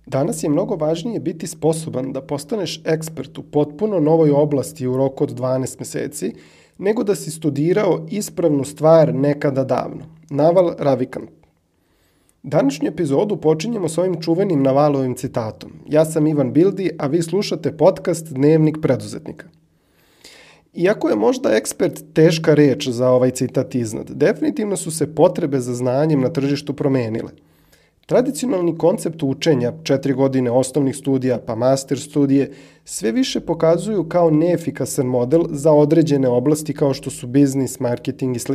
Danas je mnogo važnije biti sposoban da postaneš ekspert u potpuno novoj oblasti u roku od 12 meseci, nego da si studirao ispravnu stvar nekada davno. Naval Ravikant. Današnju epizodu počinjemo s ovim čuvenim Navalovim citatom. Ja sam Ivan Bildi, a vi slušate podcast Dnevnik preduzetnika. Iako je možda ekspert teška reč za ovaj citat iznad, definitivno su se potrebe za znanjem na tržištu promenile. Tradicionalni koncept učenja, 4 godine osnovnih studija pa master studije, sve više pokazuju kao neefikasan model za određene oblasti kao što su biznis, marketing i sl.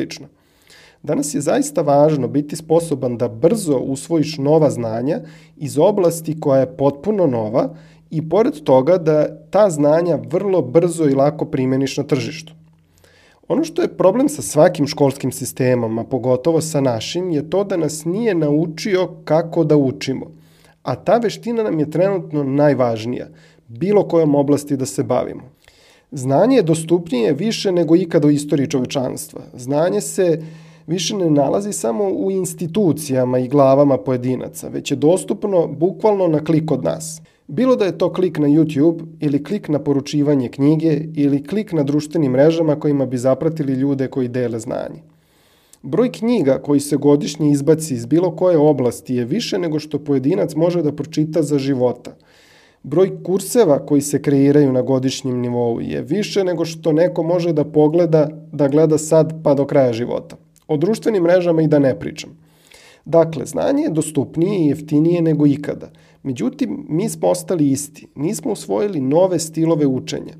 Danas je zaista važno biti sposoban da brzo usvojiš nova znanja iz oblasti koja je potpuno nova i pored toga da ta znanja vrlo brzo i lako primeniš na tržištu. Ono što je problem sa svakim školskim sistemom, a pogotovo sa našim, je to da nas nije naučio kako da učimo. A ta veština nam je trenutno najvažnija, bilo kojom oblasti da se bavimo. Znanje je dostupnije više nego ikada u istoriji čovečanstva. Znanje se više ne nalazi samo u institucijama i glavama pojedinaca, već je dostupno bukvalno na klik od nas. Bilo da je to klik na YouTube ili klik na poručivanje knjige ili klik na društvenim mrežama kojima bi zapratili ljude koji dele znanje. Broj knjiga koji se godišnje izbaci iz bilo koje oblasti je više nego što pojedinac može da pročita za života. Broj kurseva koji se kreiraju na godišnjem nivou je više nego što neko može da pogleda, da gleda sad pa do kraja života. O društvenim mrežama i da ne pričam. Dakle, znanje je dostupnije i jeftinije nego ikada. Međutim, mi smo ostali isti. Nismo usvojili nove stilove učenja.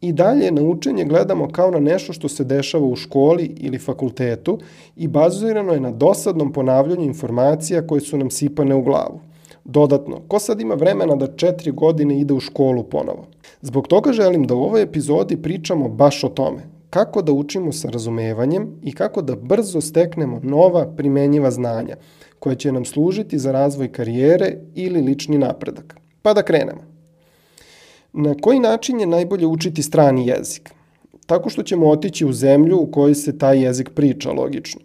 I dalje na učenje gledamo kao na nešto što se dešava u školi ili fakultetu i bazirano je na dosadnom ponavljanju informacija koje su nam sipane u glavu. Dodatno, ko sad ima vremena da 4 godine ide u školu ponovo? Zbog toga želim da u ovoj epizodi pričamo baš o tome. Kako da učimo sa razumevanjem i kako da brzo steknemo nova primenjiva znanja koja će nam služiti za razvoj karijere ili lični napredak. Pa da krenemo. Na koji način je najbolje učiti strani jezik? Tako što ćemo otići u zemlju u kojoj se taj jezik priča, logično.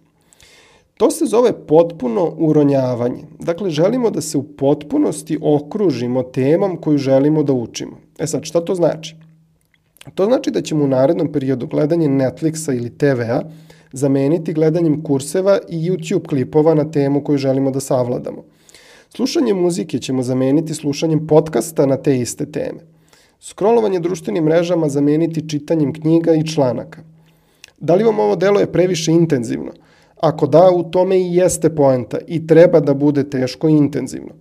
To se zove potpuno uronjavanje. Dakle, želimo da se u potpunosti okružimo temom koju želimo da učimo. Sad, šta to znači? To znači da ćemo u narednom periodu gledanje Netflixa ili TV-a zameniti gledanjem kurseva i YouTube klipova na temu koju želimo da savladamo. Slušanje muzike ćemo zameniti slušanjem podcasta na te iste teme. Scrollovanje društvenim mrežama zameniti čitanjem knjiga i članaka. Da li vam ovo deluje previše intenzivno? Ako da, u tome i jeste poenta i treba da bude teško i intenzivno.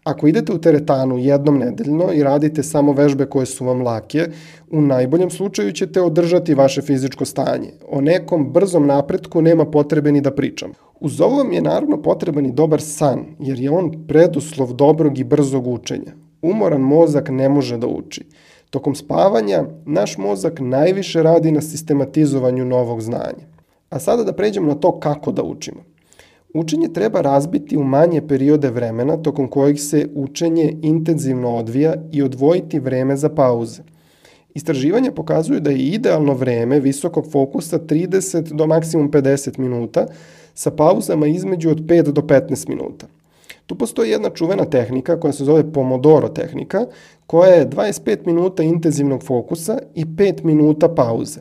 Ako idete u teretanu jednom nedeljno i radite samo vežbe koje su vam lake, u najboljem slučaju ćete održati vaše fizičko stanje. O nekom brzom napretku nema potrebe ni da pričam. Uz ovo vam je naravno potreban i dobar san, jer je on preduslov dobrog i brzog učenja. Umoran mozak ne može da uči. Tokom spavanja, naš mozak najviše radi na sistematizovanju novog znanja. A sada da pređemo na to kako da učimo. Učenje treba razbiti u manje periode vremena tokom kojih se učenje intenzivno odvija i odvojiti vreme za pauze. Istraživanja pokazuju da je idealno vreme visokog fokusa 30 do maksimum 50 minuta sa pauzama između od 5 do 15 minuta. Tu postoji jedna čuvena tehnika koja se zove Pomodoro tehnika, koja je 25 minuta intenzivnog fokusa i 5 minuta pauze.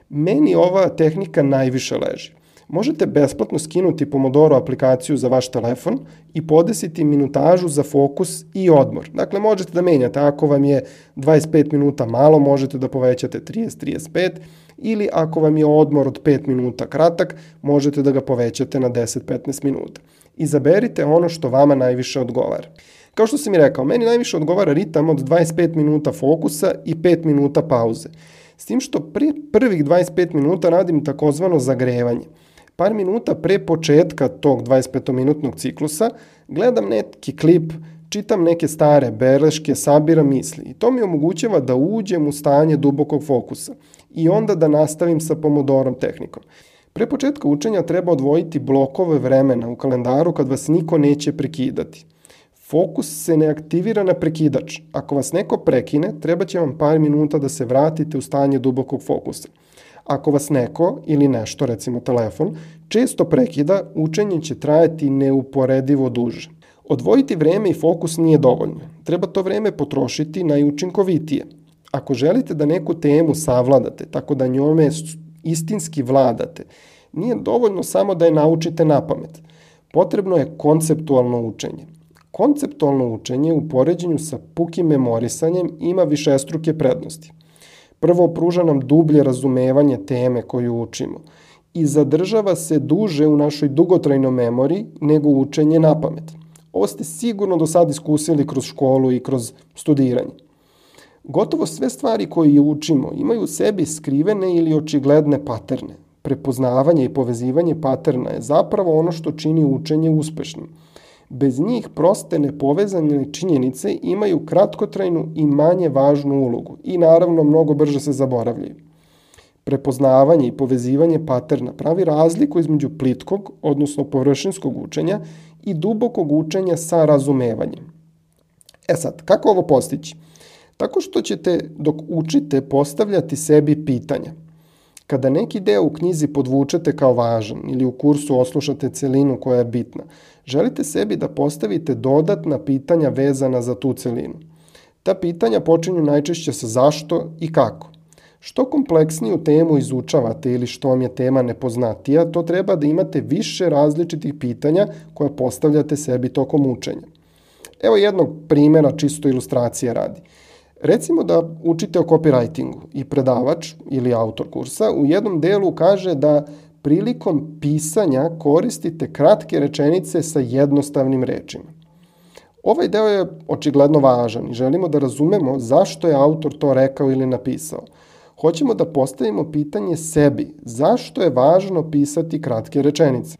Meni ova tehnika najviše leži. Možete besplatno skinuti Pomodoro aplikaciju za vaš telefon i podesiti minutažu za fokus i odmor. Dakle, možete da menjate. Ako vam je 25 minuta malo, možete da povećate 30-35 ili ako vam je odmor od 5 minuta kratak, možete da ga povećate na 10-15 minuta. Izaberite ono što vama najviše odgovara. Kao što sam i rekao, meni najviše odgovara ritam od 25 minuta fokusa i 5 minuta pauze. S tim što prvih 25 minuta radim takozvano zagrevanje. Par minuta pre početka tog 25-minutnog ciklusa gledam neki klip, čitam neke stare beleške, sabiram misli i to mi omogućava da uđem u stanje dubokog fokusa i onda da nastavim sa Pomodorom tehnikom. Pre početka učenja treba odvojiti blokove vremena u kalendaru kad vas niko neće prekidati. Fokus se ne aktivira na prekidač. Ako vas neko prekine, treba će vam par minuta da se vratite u stanje dubokog fokusa. Ako vas neko ili nešto, recimo telefon, često prekida, učenje će trajati neuporedivo duže. Odvojiti vreme i fokus nije dovoljno. Treba to vreme potrošiti najučinkovitije. Ako želite da neku temu savladate, tako da njome istinski vladate, nije dovoljno samo da je naučite napamet. Potrebno je konceptualno učenje. Konceptualno učenje u poređenju sa pukim memorisanjem ima višestruke prednosti. Prvo, pruža nam dublje razumevanje teme koju učimo i zadržava se duže u našoj dugotrajnoj memoriji nego učenje napamet. Ovo ste sigurno do sad iskusili kroz školu i kroz studiranje. Gotovo sve stvari koje učimo imaju u sebi skrivene ili očigledne paterne. Prepoznavanje i povezivanje paterna je zapravo ono što čini učenje uspešnim. Bez njih proste nepovezane činjenice imaju kratkotrajnu i manje važnu ulogu i naravno mnogo brže se zaboravljaju. Prepoznavanje i povezivanje paterna pravi razliku između plitkog, odnosno površinskog učenja i dubokog učenja sa razumevanjem. Sad, kako ovo postići? Tako što ćete dok učite postavljati sebi pitanja. Kada neki deo u knjizi podvučete kao važan ili u kursu oslušate celinu koja je bitna, želite sebi da postavite dodatna pitanja vezana za tu celinu. Ta pitanja počinju najčešće sa zašto i kako. Što kompleksniju temu izučavate ili što vam je tema nepoznatija, to treba da imate više različitih pitanja koja postavljate sebi tokom učenja. Evo jednog primjera, čisto ilustracije radi. Recimo da učite o copywritingu i predavač ili autor kursa u jednom delu kaže da prilikom pisanja koristite kratke rečenice sa jednostavnim rečima. Ovaj deo je očigledno važan i želimo da razumemo zašto je autor to rekao ili napisao. Hoćemo da postavimo pitanje sebi, zašto je važno pisati kratke rečenice?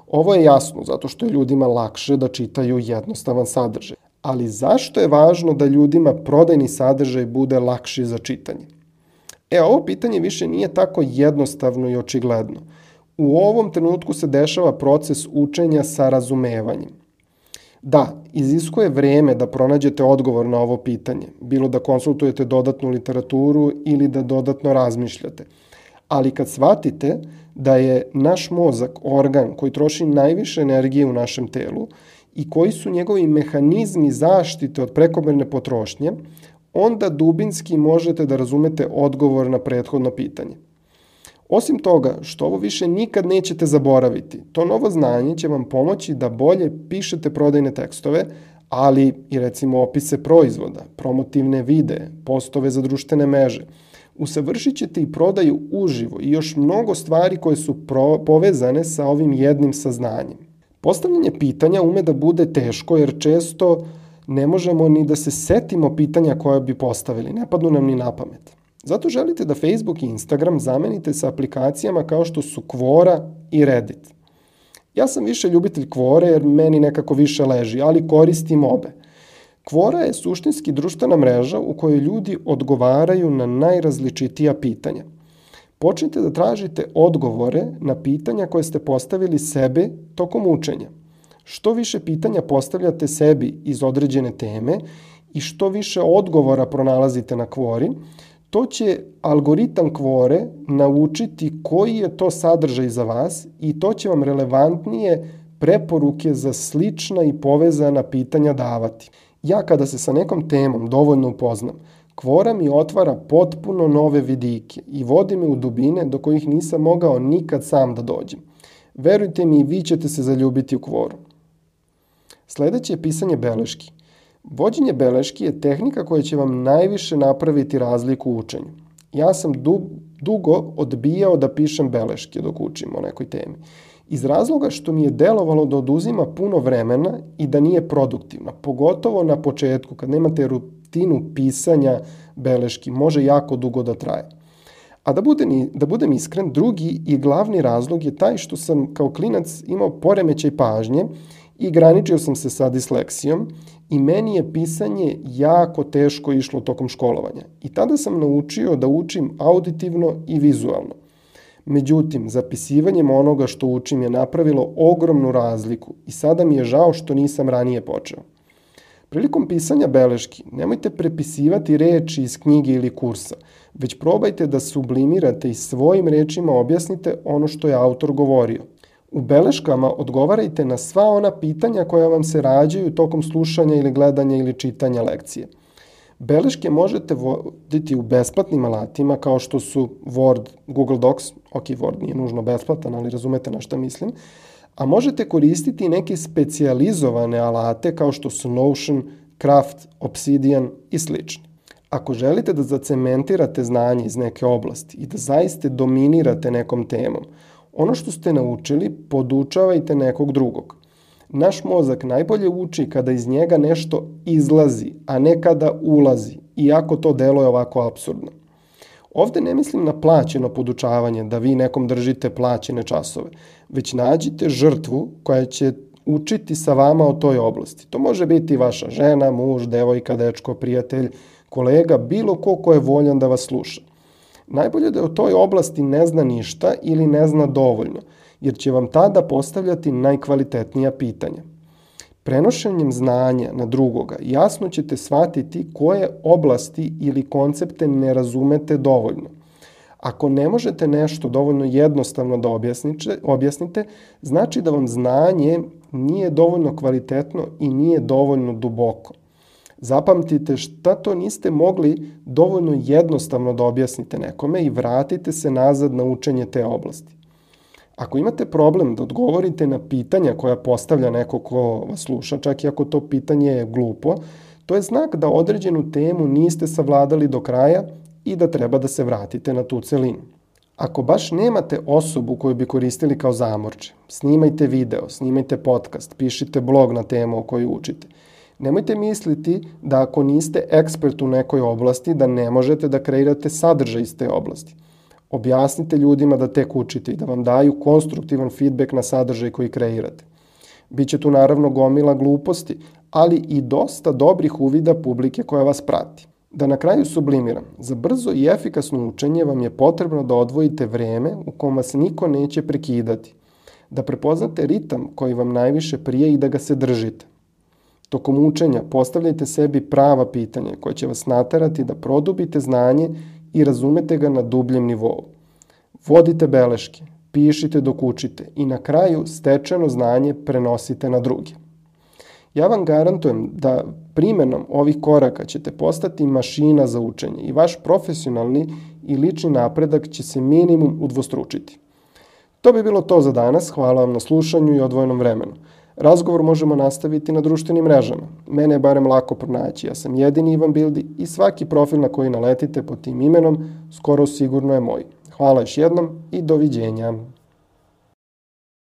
Ovo je jasno, zato što je ljudima lakše da čitaju jednostavan sadržaj. Ali zašto je važno da ljudima prodajni sadržaj bude lakši za čitanje? Ovo pitanje više nije tako jednostavno i očigledno. U ovom trenutku se dešava proces učenja sa razumevanjem. Da, iziskuje vreme da pronađete odgovor na ovo pitanje, bilo da konsultujete dodatnu literaturu ili da dodatno razmišljate. Ali kad shvatite da je naš mozak organ koji troši najviše energije u našem telu i koji su njegovi mehanizmi zaštite od prekomerne potrošnje, onda dubinski možete da razumete odgovor na prethodno pitanje. Osim toga, što ovo više nikad nećete zaboraviti, to novo znanje će vam pomoći da bolje pišete prodajne tekstove, ali i recimo opise proizvoda, promotivne videe, postove za društvene mreže. Usavršit ćete i prodaju uživo i još mnogo stvari koje su povezane sa ovim jednim saznanjem. Postavljanje pitanja ume da bude teško jer često ne možemo ni da se setimo pitanja koja bi postavili, ne padnu nam ni na pamet. Zato želite da Facebook i Instagram zamenite sa aplikacijama kao što su Quora i Reddit. Ja sam više ljubitelj Quora jer meni nekako više leži, ali koristim obe. Quora je suštinski društvena mreža u kojoj ljudi odgovaraju na najrazličitija pitanja. Počnite da tražite odgovore na pitanja koje ste postavili sebi tokom učenja. Što više pitanja postavljate sebi iz određene teme i što više odgovora pronalazite na Quori, to će algoritam Quore naučiti koji je to sadržaj za vas i to će vam relevantnije preporuke za slična i povezana pitanja davati. Ja kada se sa nekom temom dovoljno upoznam, Quora mi otvara potpuno nove vidike i vodi me u dubine do kojih nisam mogao nikad sam da dođem. Verujte mi, vi ćete se zaljubiti u Quoru. Sledeće je pisanje beleški. Vođenje beleški je tehnika koja će vam najviše napraviti razliku u učenju. Ja sam dugo odbijao da pišem beleške dok učim o nekoj temi. Iz razloga što mi je delovalo da oduzima puno vremena i da nije produktivna, pogotovo na početku kad nemate rutinu pisanja beleški, može jako dugo da traje. A da budem iskren, drugi i glavni razlog je taj što sam kao klinac imao poremećaj pažnje i graničio sam se sa disleksijom i meni je pisanje jako teško išlo tokom školovanja. I tada sam naučio da učim auditivno i vizualno. Međutim, zapisivanjem onoga što učim je napravilo ogromnu razliku i sada mi je žao što nisam ranije počeo. Prilikom pisanja beleški, nemojte prepisivati reči iz knjige ili kursa, već probajte da sublimirate i svojim rečima objasnite ono što je autor govorio. U beleškama odgovarajte na sva ona pitanja koja vam se rađaju tokom slušanja ili gledanja ili čitanja lekcije. Beleške možete voditi u besplatnim alatima kao što su Word, Google Docs, ok, Word nije nužno besplatan, ali razumete na šta mislim, a možete koristiti neke specijalizovane alate kao što su Notion, Craft, Obsidian i slični. Ako želite da zacementirate znanje iz neke oblasti i da zaista dominirate nekom temom, ono što ste naučili podučavajte nekog drugog. Naš mozak najbolje uči kada iz njega nešto izlazi, a ne kada ulazi, iako to deluje ovako apsurdno. Ovde ne mislim na plaćeno podučavanje, da vi nekom držite plaćene časove, već nađite žrtvu koja će učiti sa vama o toj oblasti. To može biti vaša žena, muž, devojka, dečko, prijatelj, kolega, bilo ko je voljan da vas sluša. Najbolje da o toj oblasti ne zna ništa ili ne zna dovoljno, jer će vam tada postavljati najkvalitetnija pitanja. Prenošenjem znanja na drugoga jasno ćete shvatiti koje oblasti ili koncepte ne razumete dovoljno. Ako ne možete nešto dovoljno jednostavno da objasnite, znači da vam znanje nije dovoljno kvalitetno i nije dovoljno duboko. Zapamtite šta to niste mogli dovoljno jednostavno da objasnite nekome i vratite se nazad na učenje te oblasti. Ako imate problem da odgovorite na pitanja koja postavlja neko ko vas sluša, čak i ako to pitanje je glupo, to je znak da određenu temu niste savladali do kraja i da treba da se vratite na tu celinu. Ako baš nemate osobu koju bi koristili kao zamorče, snimajte video, snimajte podcast, pišite blog na temu o kojoj učite. Nemojte misliti da ako niste ekspert u nekoj oblasti, da ne možete da kreirate sadržaj iz te oblasti. Objasnite ljudima da tek učite i da vam daju konstruktivan feedback na sadržaj koji kreirate. Biće tu naravno gomila gluposti, ali i dosta dobrih uvida publike koja vas prati. Da na kraju sublimiram, za brzo i efikasno učenje vam je potrebno da odvojite vreme u kom vas niko neće prekidati, da prepoznate ritam koji vam najviše prije i da ga se držite. Tokom učenja postavljajte sebi prava pitanja koja će vas naterati da produbite znanje i razumete ga na dubljem nivou. Vodite beleške, pišite dok učite i na kraju stečeno znanje prenosite na druge. Ja vam garantujem da primenom ovih koraka ćete postati mašina za učenje i vaš profesionalni i lični napredak će se minimum udvostručiti. To bi bilo to za danas, hvala vam na slušanju i odvojenom vremenu. Razgovor možemo nastaviti na društvenim mrežama. Mene je barem lako pronaći, ja sam jedini Ivan Bildi i svaki profil na koji naletite pod tim imenom skoro sigurno je moj. Hvala još jednom i doviđenja.